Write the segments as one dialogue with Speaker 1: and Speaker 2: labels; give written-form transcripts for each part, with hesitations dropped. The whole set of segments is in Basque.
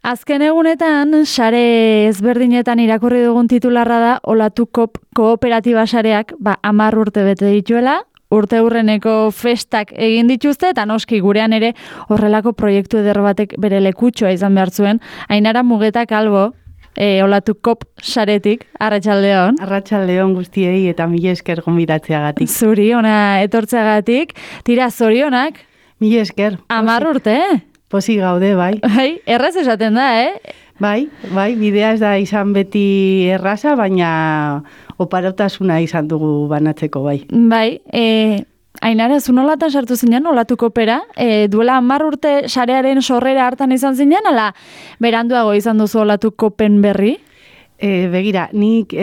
Speaker 1: Azken egunetan, sare ezberdinetan irakurri dugun titularra da Olatukop kooperatiba sareak 10 urte bete dituela, urte hurreneko festak egin dituzte, eta noski gurean ere horrelako proiektu eder batek bere lekutxoa izan behar zuen. Ainara Mugeta Kalbo, Olatukop saretik, arratsaldeon.
Speaker 2: Arratsaldeon guztiei eta mila esker gonbidatzeagatik.
Speaker 1: Zuri, ona etortzeagatik, tira zorionak.
Speaker 2: Mila esker.
Speaker 1: 10 urte,
Speaker 2: Pozik gaude, bai.
Speaker 1: Bai, erraz esaten da,
Speaker 2: Bai, bidea ez da izan beti erraza, baina oparotasuna izan dugu banatzeko, bai.
Speaker 1: Bai, Ainara, zu nolatan sartu zinen Olatukopera? Duela 10 urte sarearen sorrera hartan izan zinen, ala beranduago izan duzu Olatukopen berri?
Speaker 2: Begira, nik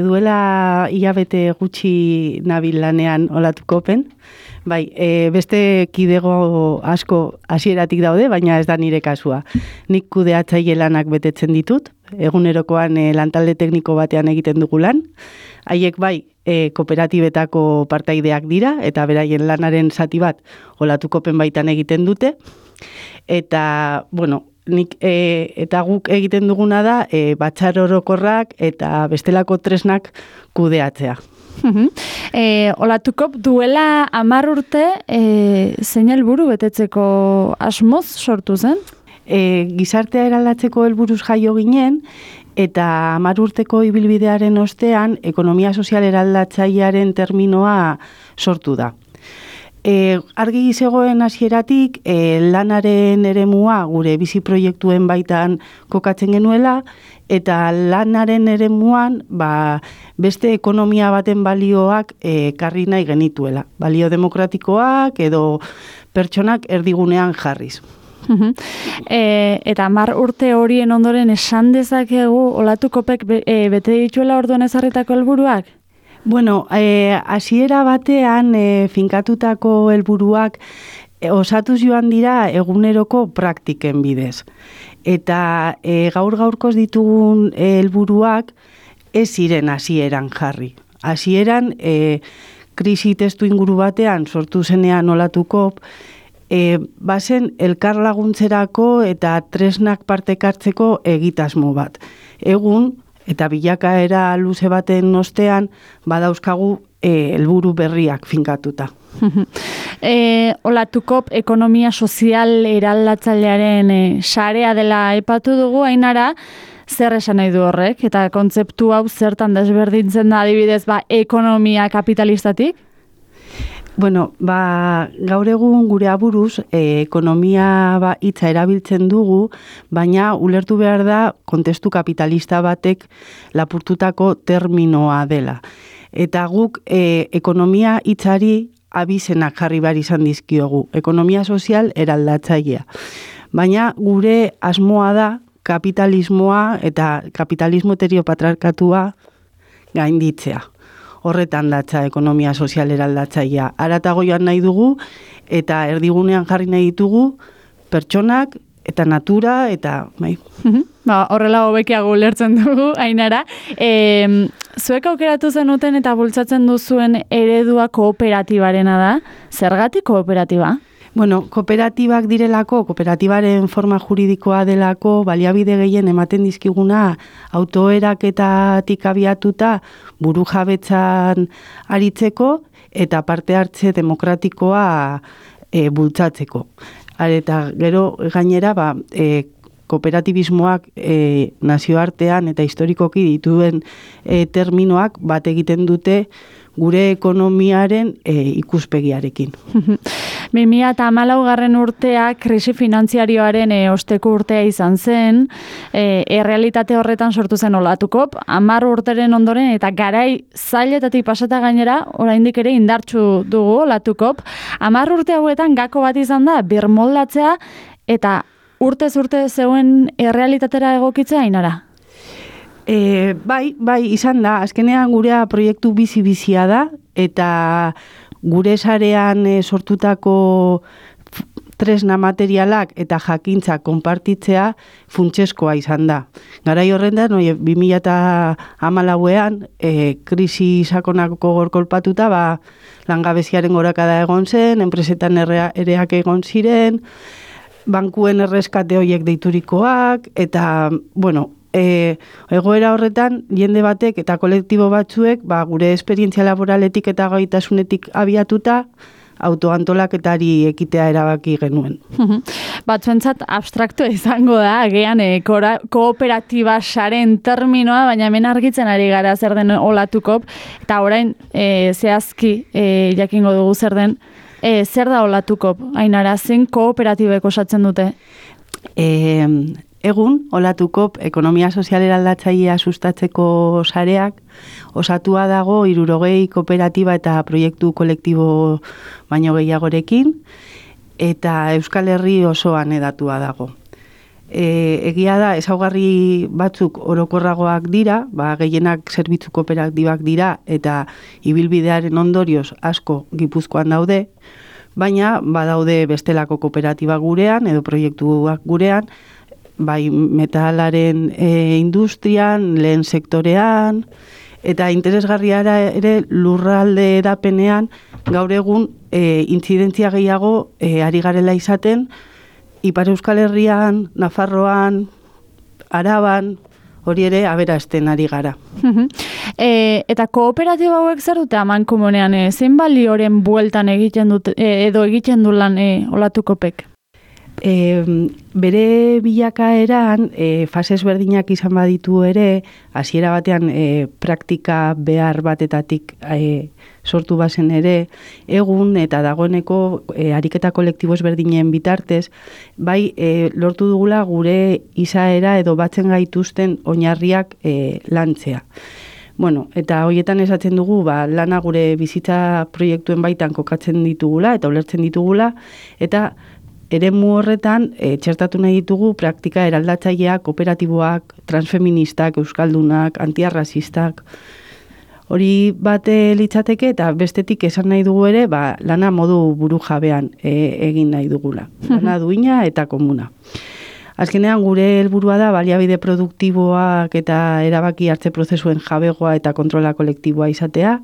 Speaker 2: duela hilabete gutxi nabil lanean Olatukopen. Bai, beste kidego asko hasieratik daude, baina ez da nire kasua. Nik kudeatzaile lanak betetzen ditut, egunerokoan lantalde tekniko batean egiten dugu lan. Haiek bai, kooperatibetako partaideak dira, eta beraien lanaren zati bat Olatukopen baitan egiten dute. Eta, bueno, nik eta guk egiten duguna da batzar orokorrak eta bestelako tresnak kudeatzea.
Speaker 1: Olatukop duela 10 urte zein helburu betetzeko asmoz sortu zen?
Speaker 2: Gizartea eraldatzeko helburuz jaio ginen, eta 10 urteko ibilbidearen ostean ekonomia sozial eraldatzailearen terminoa sortu da. Argi zegoen hasieratik lanaren eremua gure bizi proiektuen baitan kokatzen genuela, eta lanaren eremuan beste ekonomia baten balioak karri nahi genituela. Balio demokratikoak edo pertsonak erdigunean jarriz.
Speaker 1: Eta 10 urte horien ondoren esan dezakegu Olatukopek bete dituela orduan ezarritako helburuak?
Speaker 2: Bueno, hasiera batean finkatutako helburuak osatuz joan dira eguneroko praktiken bidez. Eta gaur-gaurkoz ditugun helburuak ez ziren hasieran jarri. Hasieran krisi testu inguru batean sortu zenean Olatukop, bazen elkar laguntzerako eta tresnak partekartzeko egitasmo bat. Egun, eta bilakaera luze baten ostean badauzkagu helburu berriak finkatuta.
Speaker 1: Olatukop ekonomia sozial eraldatzailearen sarea dela aipatu dugu, Ainara, zer esan nahi du horrek? Eta kontzeptu hau zertan desberdintzen da adibidez ekonomia kapitalistatik?
Speaker 2: Bueno, gaur egun gure aburuz ekonomia hitza erabiltzen dugu, baina ulertu behar da kontestu kapitalista batek lapurtutako terminoa dela. Eta guk ekonomia hitzari abizenak jarri behar izan dizkiogu, ekonomia sozial eraldatzailea. Baina gure asmoa da kapitalismoa eta kapitalismo heteropatriarkatua gainditzea. Horretan datza ekonomia sozial eraldatzailea. Haratago joan nahi dugu eta erdigunean jarri nahi ditugu pertsonak eta natura eta bai.
Speaker 1: Horrela hobekiago ulertzen dugu, Ainara. Zuek aukeratu zenuten eta bultzatzen duzuen eredua kooperatibarena da. Zergatik kooperatiba?
Speaker 2: Bueno, kooperatibak direlako, kooperatibaren forma juridikoa delako, baliabide gehien ematen dizkiguna autoeraketatik abiatuta burujabetzan aritzeko eta parte hartze demokratikoa bultzatzeko. Eta gero gainera kooperatibismoak nazioartean eta historikoki dituen terminoak bat egiten dute gure ekonomiaren ikuspegiarekin.
Speaker 1: 2014 urtea krisi finantziarioaren osteko urtea izan zen, errealitate horretan sortu zen Olatukop, 10 urteren ondoren eta garai zailetatik pasata gainera, oraindik ere indartsu dugu Olatukop. 10 urte hauetan gako bat izan da, birmoldatzea eta urtez urte zeuen errealitatera egokitzea, Ainara?
Speaker 2: Bai, izan da. Azkenean gurea proiektu bizi-bizia da, eta gure sarean sortutako tresna materialak eta jakintza konpartitzea funtsezkoa izan da. Garai horrendan, 2014ean, krisi sakonako gorkolpatuta, langabeziaren gorakada egon zen, enpresetan ereak egon ziren, bankuen erreskate horiek deiturikoak, eta, bueno, egoera horretan, jende batek eta kolektibo batzuek, gure esperientzia laboraletik eta gaitasunetik abiatuta, autoantolaketari ekitea erabaki genuen.
Speaker 1: Batzuentzat abstraktua izango da, agian kooperatiba saren terminoa, baina hemen argitzen ari gara zer den olatukop, eta orain zehazki jakingo dugu zer den, zer da olatukop? Ainara, zein kooperatibek osatzen dute?
Speaker 2: Egun, olatukop ekonomia sozial eraldatzailea sustatzeko sareak osatua dago 60 kooperatiba eta proiektu kolektibo baino gehiagorekin, eta Euskal Herri osoan hedatua dago. Egia da, ezaugarri batzuk orokorragoak dira, gehienak zerbitzu kooperatibak dira, eta ibilbidearen ondorioz asko Gipuzkoan daude, baina badaude bestelako kooperatiba gurean edo proiektuak gurean, bai metalaren industrian, lehen sektorean, eta interesgarriara ere lurralde edapenean gaur egun intzidentzia gehiago ari garela izaten, Ipar Euskal Herrian, Nafarroan, Araban, hori ere aberasten ari gara.
Speaker 1: Eta kooperatiba hauek zer dute amankomunean, zein balioren bueltan egiten dute, edo egiten du lan olatukopek?
Speaker 2: Bere bilakaeran fase ezberdinak izan baditu ere, hasiera batean praktika behar batetatik sortu bazen ere, egun eta dagoeneko ariketa kolektibo ezberdinen bitartez, bai lortu dugula gure izaera edo batzen gaituzten oinarriak lantzea. Bueno, eta horietan esatzen dugu, lana gure bizitza proiektuen baitan kokatzen ditugula eta ulertzen ditugula, eta eremu horretan txertatu nahi ditugu praktika eraldatzaileak, kooperatiboak, transfeministak, euskaldunak, antiarrazistak. Hori bate litzateke eta bestetik esan nahi dugu ere, lana modu buru jabean egin nahi dugula. Lana duina eta komuna. Azkenean gure helburua da baliabide produktiboak eta erabaki hartze prozesuen jabegoa eta kontrola kolektiboa izatea,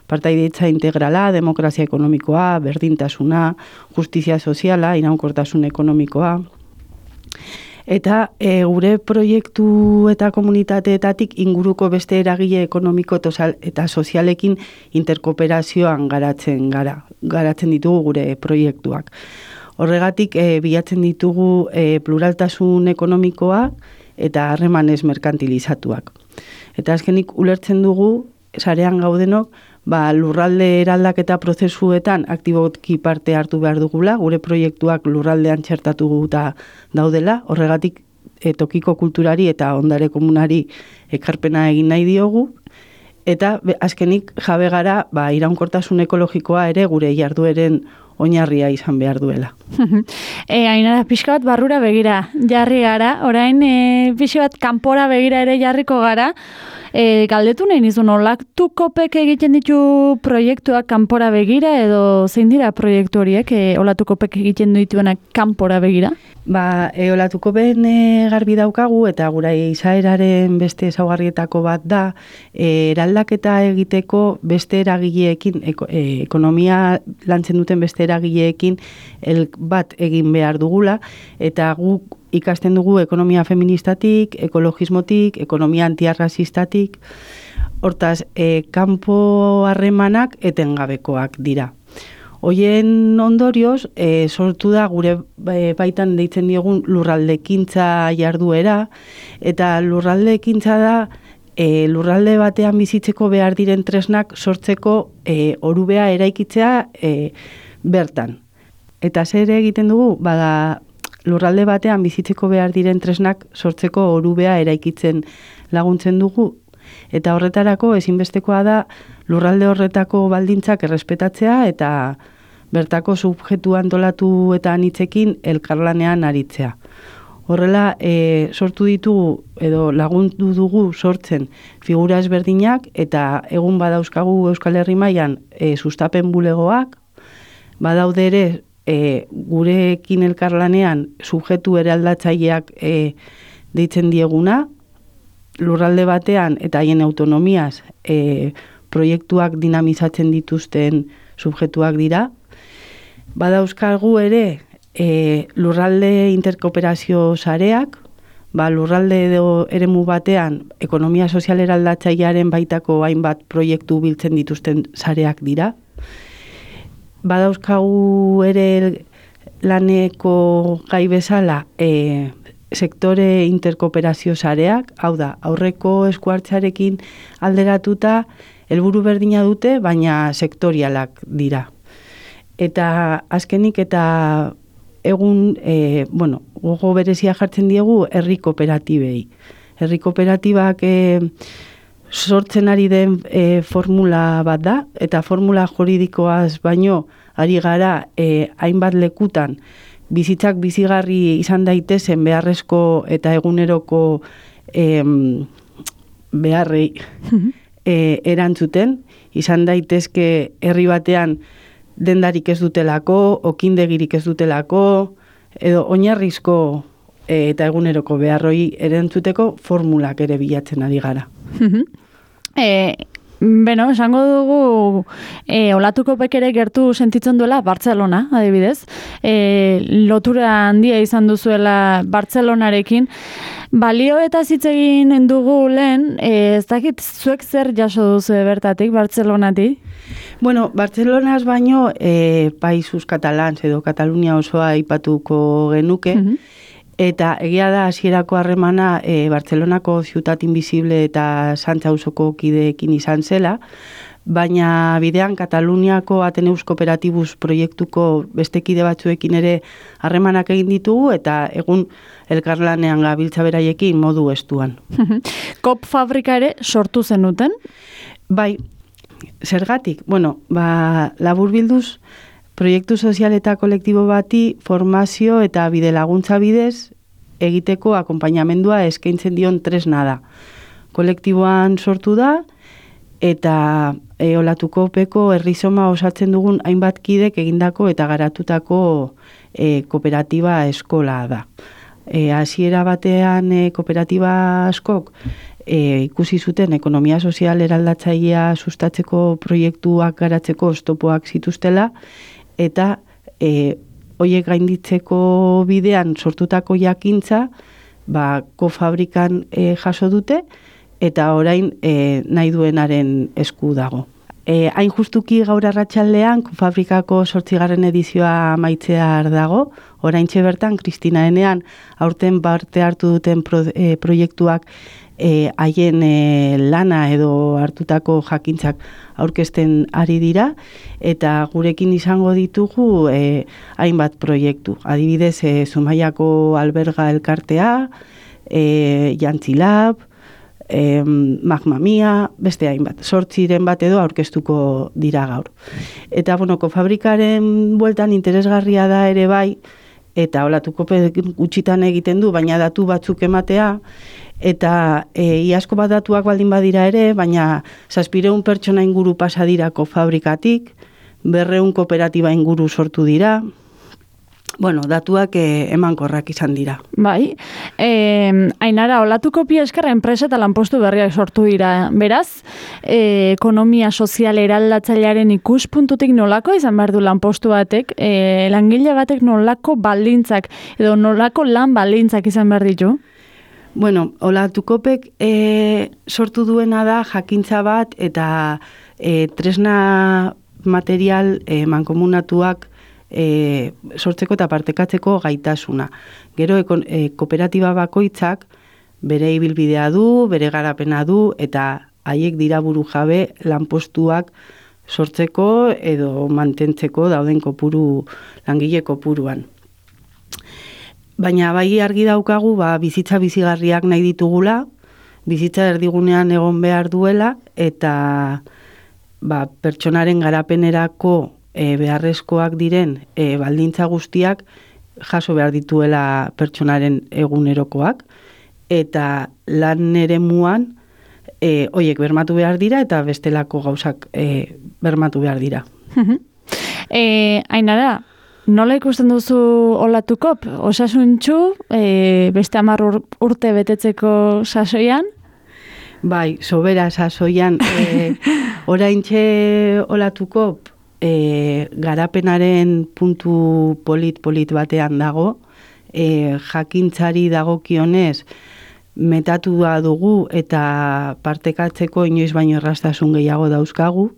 Speaker 2: partaidetza integrala, demokrazia ekonomikoa, berdintasuna, justizia soziala, iraunkortasun ekonomikoa. Eta gure proiektu eta komunitateetatik inguruko beste eragile ekonomiko eta sozialekin interkooperazioan garatzen ditugu gure proiektuak. Horregatik bilatzen ditugu pluraltasun ekonomikoa eta harremanez merkantilizatuak. Eta azkenik ulertzen dugu, sarean gaudenok, lurralde eraldaketa prozesuetan aktiboki parte hartu behar dugula, gure proiektuak lurraldean txertatuta daudela, horregatik tokiko kulturari eta ondare komunari ekarpena egin nahi diogu, eta azkenik jabe gara iraunkortasun ekologikoa ere gure jardueren oinarria izan behar duela.
Speaker 1: Ainara, pixka bat barrura begira jarri gara, orain pixka bat kanpora begira ere jarriko gara, galdetu nahi nizun, olatukopek egiten ditu proiektuak kanpora begira edo zein dira proiektu horiek olatukopek egiten dituenak kanpora begira?
Speaker 2: Olatukopen garbi daukagu eta gura izaeraren beste ezaugarrietako bat da, eraldaketa egiteko beste eragileekin, ekonomia lantzen duten beste eragileekin bat egin behar dugula, eta guk ikasten dugu ekonomia feministatik, ekologismotik, ekonomia antiarrazistatik, hortaz, kanpo harremanak etengabekoak dira. Hoien ondorioz, sortu da gure baitan deitzen diogun lurraldekintza jarduera, eta lurraldekintza da lurralde batean bizitzeko behar diren tresnak sortzeko orubea eraikitzea bertan. Eta zer egiten dugu? Lurralde batean bizitzeko behar diren tresnak sortzeko orubea eraikitzen laguntzen dugu. Eta horretarako ezinbestekoa da lurralde horretako baldintzak errespetatzea eta bertako subjektu antolatu eta anitzekin elkarlanean aritzea. Horrela, sortu ditugu edo lagundu dugu sortzen figura ezberdinak eta egun badauzkagu Euskal Herri mailan sustapen bulegoak, badaude ere gurekin elkarlanean subjektu eraldatzaileak deitzen dieguna, lurralde batean eta haien autonomiaz proiektuak dinamizatzen dituzten subjektuak dira. Badauzkagu ere lurralde interkooperazio sareak, lurralde edo eremu batean ekonomia sozial eraldatzailearen baitako hainbat proiektu biltzen dituzten sareak dira. Badauzkagu ere laneko gai bezala sektore interkooperazio sareak, hau da, aurreko eskuartzarekin alderatuta helburu berdina dute, baina sektorialak dira. Eta azkenik eta egun, gogo berezia jartzen diegu herri kooperatibei. Herri kooperatibak sortzen ari den formula bat da, eta formula juridikoaz baino ari gara hainbat lekutan bizitzak bizigarri izan daitezen beharrezko eta eguneroko beharrei erantzuten, izan daitezke herri batean dendarik ez dutelako, okindegirik ez dutelako, edo oinarrizko eta eguneroko beharroi erantzuteko formulak ere bilatzen ari gara.
Speaker 1: Esango dugu olatuko ere gertu sentitzen duela Bartzelona, adibidez. Lotura handia izan duzuela Bartzelonarekin. Balio eta hitz egin dugu lehen, ez dakit zuek zer jaso duzu bertatik, Bartzelonatik?
Speaker 2: Bartzelonaz baino Països Catalans edo Katalunia osoa aipatuko genuke, eta egia da hasierako harremana Bartzelonako Ciutat Invisible eta Santza auzoko kideekin izan zela, baina bidean Kataluniako Ateneus Kooperatibus proiektuko beste kide batzuekin ere harremanak egin ditugu, eta egun elkarlanean gabiltza beraiekin modu estuan.
Speaker 1: Kop fabrika ere sortu zenuten?
Speaker 2: Bai, zergatik? Laburbilduz, proiektu sozial eta kolektibo bati formazio eta bide laguntza bidez egiteko akonpainamendua eskaintzen dion tresna da. Kolektiboan sortu da, eta olatuko peko herrizoma osatzen dugun hainbat kidek egindako eta garatutako kooperatiba eskola da. Hasiera batean kooperatiba askok ikusi zuten ekonomia sozial eraldatzailea sustatzeko proiektuak garatzeko oztopoak zituztela, eta horiek gainditzeko bidean sortutako jakintza kofabrikan jaso dute, eta orain nahi duenaren esku dago. Hain justuki gaur arratsaldean Kofabrikako 8. edizioa amaitzear dago, oraintxe bertan Kristina Enean aurten parte hartu duten proiektuak haien lana edo hartutako jakintzak aurkezten ari dira, eta gurekin izango ditugu hainbat proiektu. Adibidez, Zumaiako alberga elkartea, Jantzilab, Magma Mia, beste hainbat, 8 bat edo aurkeztuko dira gaur. Eta, Kofabrikaren bueltan interesgarria da ere bai, eta olatuko gutxitan egiten du, baina datu batzuk ematea, eta iazko bat datuak baldin badira ere, baina 700 pertsona inguru pasa dira Kofabrikatik, 200 kooperatiba inguru sortu dira, datuak emankorrak izan dira.
Speaker 1: Bai, Ainara, olatuko esker enpresa eta lanpostu berriak sortu dira. Beraz, ekonomia sozial eraldatzailearen ikuspuntutik nolako izan behar du lanpostu batek, langile batek nolako baldintzak edo nolako lan baldintzak izan behar ditu?
Speaker 2: Olatukopek sortu duena da jakintza bat eta tresna material mankomunatuak sortzeko eta partekatzeko gaitasuna. Gero kooperatiba bakoitzak bere ibilbidea du, bere garapena du, eta haiek dira buru jabe lanpostuak sortzeko edo mantentzeko dauden langile kopuruan. Baina bai argi daukagu bizitza bizigarriak nahi ditugula, bizitza erdigunean egon behar duela, eta pertsonaren garapenerako beharrezkoak diren baldintza guztiak jaso behar dituela pertsonaren egunerokoak, eta lan eremuan horiek bermatu behar dira eta bestelako gauzak bermatu behar dira.
Speaker 1: Ainara, nola ikusten duzu olatukop? Osasuntxu, beste 10 urte betetzeko sasoian?
Speaker 2: Bai, sobera sasoian. Oraintxe olatukop garapenaren puntu polit batean dago, jakintzari dagokionez metatua dugu eta partekatzeko inoiz baino erraztasun gehiago dauzkagu,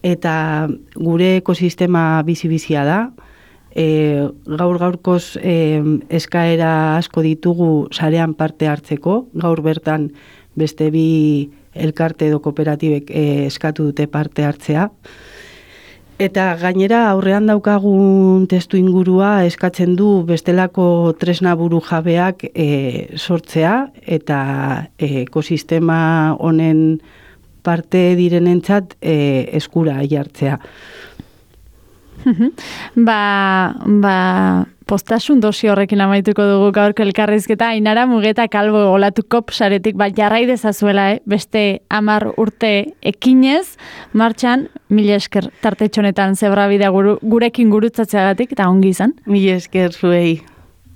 Speaker 2: eta gure ekosistema bizi-bizia da, gaur-gaurkoz eskaera asko ditugu sarean parte hartzeko, gaur bertan beste 2 elkarte edo kooperatibek eskatu dute parte hartzea. Eta gainera aurrean daukagun testu ingurua eskatzen du bestelako tresna buru jabeak sortzea eta ekosistema honen parte direnentzat eskura jartzea.
Speaker 1: Postasun dosi horrekin amaituko dugu gaurko elkarrizketa. Ainara Mugeta Kalbo Olatukop saretik jarrai dezazuela, beste 10 urte ekinez, martxan, 1000 esker tartetxonetan zebrabidea gurekin gurutzatzeagatik, eta ongi izan.
Speaker 2: 1000 esker zuei.